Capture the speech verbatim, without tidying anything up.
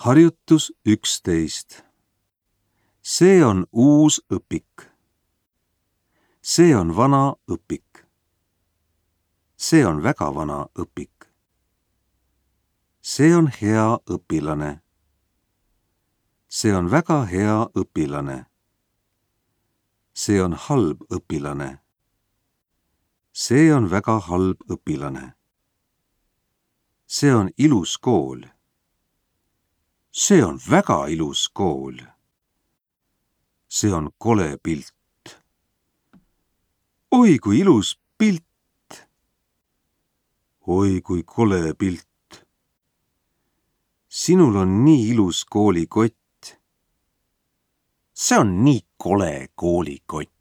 Harjutus üksteist. See on uus õpik. See on vana õpik. See on väga vana õpik. See on hea õpilane. See on väga hea õpilane. See on halb õpilane. See on väga halb õpilane. See on ilus kool. See on väga ilus kool. See on kole pilt. Oi, kui ilus pilt! Oi, kui kole pilt! Sinul on nii ilus koolikott. See on nii kole koolikott.